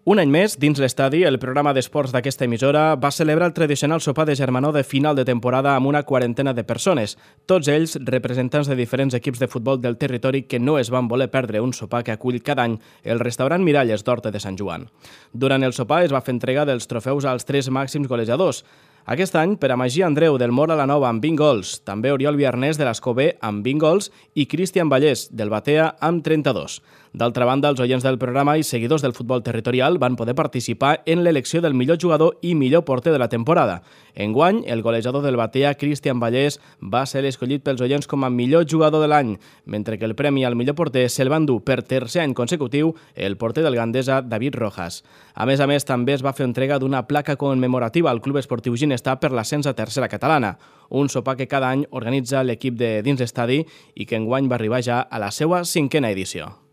Un any més, dins l'estadi, el programa d'esports d'aquesta emissora va celebrar el tradicional sopar de germanor de final de temporada amb una quarantena de persones, tots ells representants de diferents equips de futbol del territori que no es van voler perdre un sopar que acull cada any el restaurant Miralles d'Horta de Sant Joan. Durant el sopar es va fer entrega dels trofeus als 3 màxims golejadors. Aquest any, per a Magí Andreu del Mor a la Nova amb 20 gols, també Oriol Viarnés de l'Escobé amb 20 gols i Cristian Vallès del Batea amb 32. D'altra banda, els oients del programa i seguidors del futbol territorial van poder participar en l'elecció del millor jugador i millor porter de la temporada. Enguany, el golejador del Batea, Cristian Vallès, va ser escollit pels oients com a millor jugador de l'any, mentre que el premi al millor porter se'l van dur per tercer any consecutiu el porter del Gandesa, David Rojas. A més, també es va fer entrega d'una placa commemorativa al Club Esportiu Ginestar per l'ascens a tercera catalana, un sopar que cada any organitza l'equip de dins l'estadi i que enguany va arribar ja a la seva 5a edició.